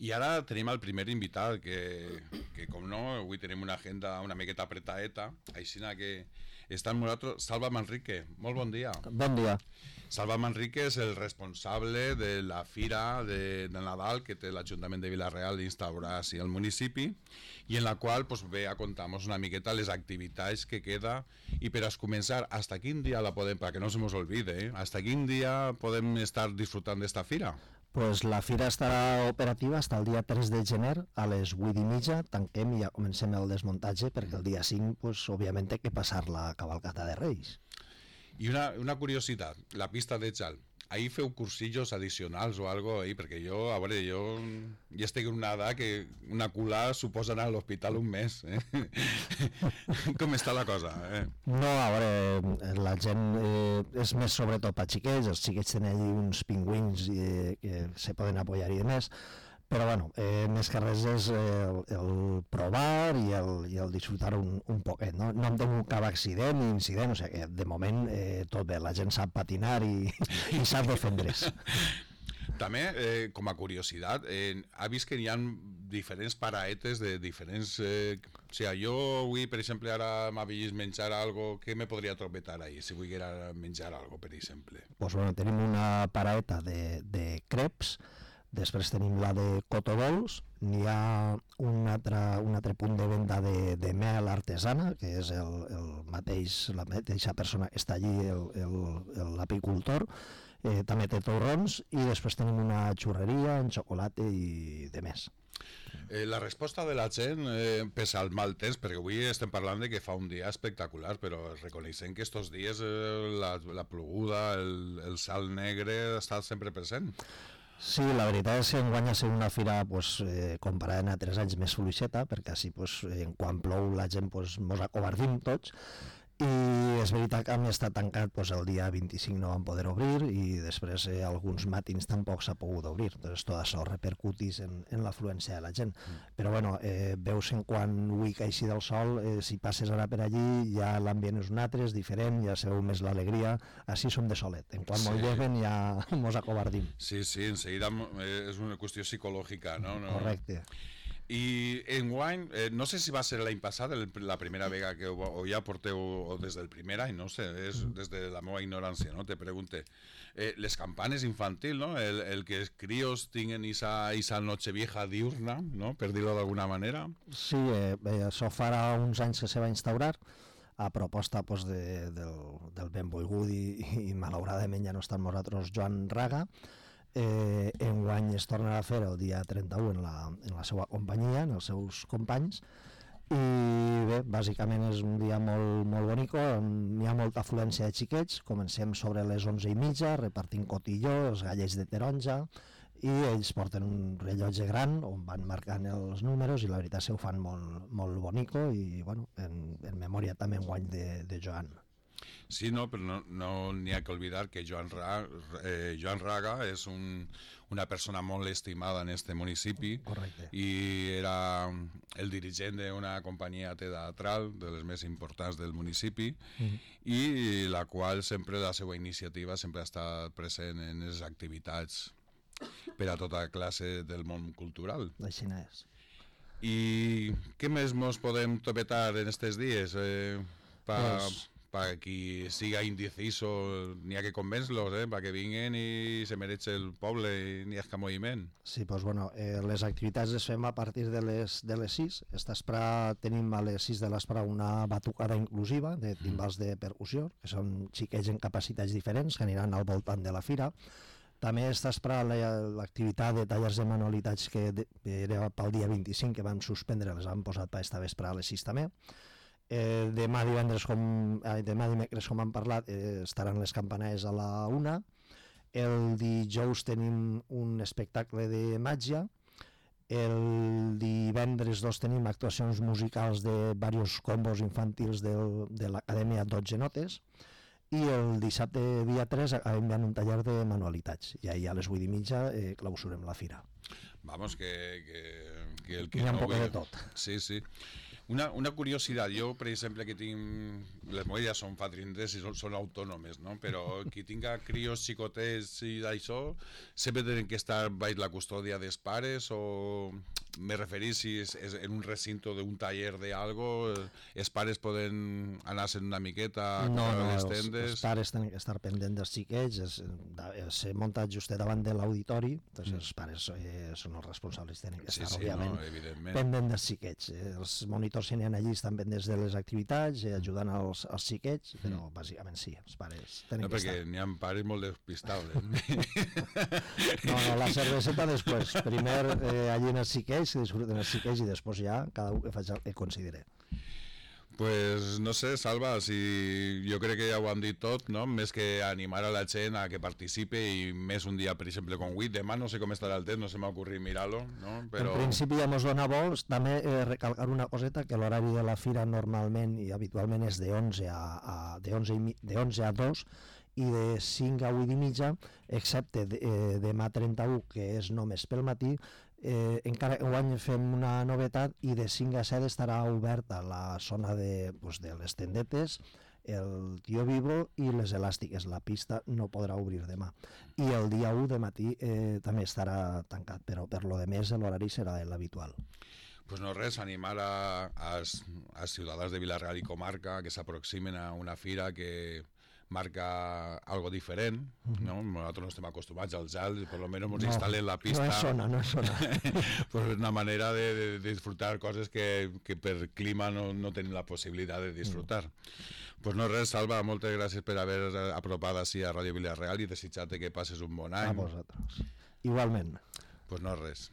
I ara tenim el primer invitat, que com no, avui tenim una agenda una miqueta apretaeta, així que està amb nosaltres Salva Manrique. Molt bon dia. Bon dia. Salva Manrique és el responsable de la fira de Nadal que té l'Ajuntament de Vila-real instaurar al municipi, i en la qual pues, ve a contar-nos una miqueta les activitats que queda, i per a començar, hasta quin dia la podem, perquè no se nos olvide, hasta quin dia podem estar disfrutant d'esta fira? Pues la fira estarà operativa fins el dia 3 de gener a les 8:30, tanquem i ja comencem el desmuntatge, perquè el dia 5, pues, òbviament, té que passar la cavalcata de Reis. I una curiositat, la pista de Xal, ahir feu cursillos addicionals o algo ahí, perquè jo, a veure, jo ja estic en una edat que una cula suposa anar a l'hospital un mes, Com està la cosa, No, a veure, la gent és més sobretot per xiquets, els xiquets tenen allí uns pingüins que se poden apoyar i demés, però bueno, més que res és el provar i el disfrutar un poquet, no hem tingut cap accident ni incident, o sigui que de moment tot bé, la gent sap patinar i sap defendre's. També, com a curiositat, ha vist que hi ha diferents paraetes de diferents... o sigui, jo avui, per exemple, ara m'ha vist menjar algo, què me podria trobetar ahí, si volguera menjar algo, per exemple? Pues bueno, tenim una paraeta de creps, després tenim la de cotodols, n'hi ha un altre punt de venda de mel artesana, que és la mateixa persona que està allí, l'apicultor, també té torrons, i després tenim una xurreria en xocolata i de més. La resposta de la gent pesa al mal temps, perquè avui estem parlant de que fa un dia espectacular, però reconeixem que estos dies la ploguda, el sal negre està sempre present. Sí, la veritat és que enguany ha sigut una fira comparada a 3 anys més fluixeta, perquè així quan plou la gent mos acobardim tots, i és veritat que hem estat tancat el dia 25 no vam poder obrir, i després alguns matins tampoc s'ha pogut obrir, doncs tot això repercutís en l'afluència de la gent, però bueno, veus en quan avui caixi del sol, si passes ara per allí ja l'ambient és un altre, és diferent, ja se veu més l'alegria, així som de solet, en quan mos lleven ja mos acobardim. Sí, en seguida és una qüestió psicològica, no? Correcte. I enguany, no sé si va ser l'any passat la primera vegada que o ja porteu o des del primer any, no sé, és des de la meva ignorància, no? Te pregunte, les campanes infantil, no? El que els crios tinguen esa nochevieja diurna, no? Per dir-ho d'alguna manera. Sí, això farà uns anys que se va instaurar a proposta del benvolgut i malauradament ja no està amb nosaltres Joan Raga. Enguany es torna a fer el dia 31 en la seva companyia, en els seus companys, i bé, bàsicament és un dia molt, molt bonic, n'hi ha molta afluència de xiquets, comencem sobre les 11:30 repartint cotilló, els gallets de taronja, i ells porten un rellotge gran on van marcant els números, i la veritat se ho fan molt, molt bonico, i bueno, en memòria també enguany de Joan. Sí, no, però no n'hi ha que oblidar que Joan Raga és una persona molt estimada en este municipi. Correcte. I era el dirigent d'una companyia teatral de les més importants del municipi, i la qual sempre, la seva iniciativa sempre ha estat present en les activitats per a tota classe del món cultural. Així és. I què més mos podem topetar en aquests dies para qui siga indeciso? N'hi ha que convèncer-los, perquè vinguen i se mereix el poble i n'hi ha que moviment. Sí, doncs bueno, les activitats les fem a partir de les 6. Esta vesprà tenim a les 6 de l'esprà una batucada inclusiva de timbals de percussió, que són xiquets en capacitats diferents que aniran al voltant de la fira. També esta vesprà l'activitat de tallers de manualitats que era pel dia 25, que vam suspendre, les hem posat per esta vesprà a les 6 també. Demà dimecres, com hem parlat, estaran les campanades a la 1. El dijous tenim un espectacle de màgia. El divendres tenim actuacions musicals de diversos combos infantils de l'Acadèmia 12 Notes. I el dissabte dia 3 acabem fent un taller de manualitats, i ahir a les 8:30 clausurem la fira. Vamos, que el que hi ha no un poc de tot. Sí. Una curiositat, jo per exemple que tinc, les meves ja són fa 30 i són autònomes, no? Però qui tinga crios xicotets i d'això, sempre tenen que estar baix la custòdia dels pares o me referís si és en un recinto d'un taller de algo, els pares poden anar-se'n una miqueta No, a les els tendes? pares tenen que estar pendents dels xiquets, s'ha muntat just davant de l'auditori, doncs els pares són els responsables, tenen que estar, òbviament, evidentment. pendents dels xiquets. Els monitors que n'hi ha allí estan pendents de les activitats, ajudant als xiquets, però bàsicament sí, els pares tenen que estar. Perquè n'hi ha pares molt despistables. No, la cerveseta després. Primer allí en els xiquets, que disfruten els xiquets, i després ja cada un que faci el que considere. Pues no sé, Salva, si jo crec que ja ho hem dit tot, no? Més que animar a la gent a que participe i més un dia, per exemple, com avui, demà no sé com estarà el temps, no se m'ha ocorrit mirar-lo, no? Però... En principi ja mos dona vols, també recalcar una coseta, que l'horari de la fira normalment i habitualment és de 11 a 2 i de 5 a 8 i mitja, excepte demà 31, que és només pel matí. Encara enguany fem una novetat i de 5 a 7 estarà oberta la zona de les tendetes, el tio vivo i les elàstiques. La pista no podrà obrir demà. I el dia 1 de matí també estarà tancat, però per lo de més l'horari serà l'habitual. Pues no res, animar als ciutadans de Vila-real i comarca que s'aproximen a una fira que marca algo diferent, no? Nosaltres no estem acostumats al gel, per lo menos ens instal·len la pista. No és zona. Pues és una manera de disfrutar coses que per clima no tenim la possibilitat de disfrutar. Pues no res, Salva, moltes gràcies per haver apropat així a Ràdio Vila-real i desitjar-te que passes un bon any. A vosaltres. Igualment. Pues no res.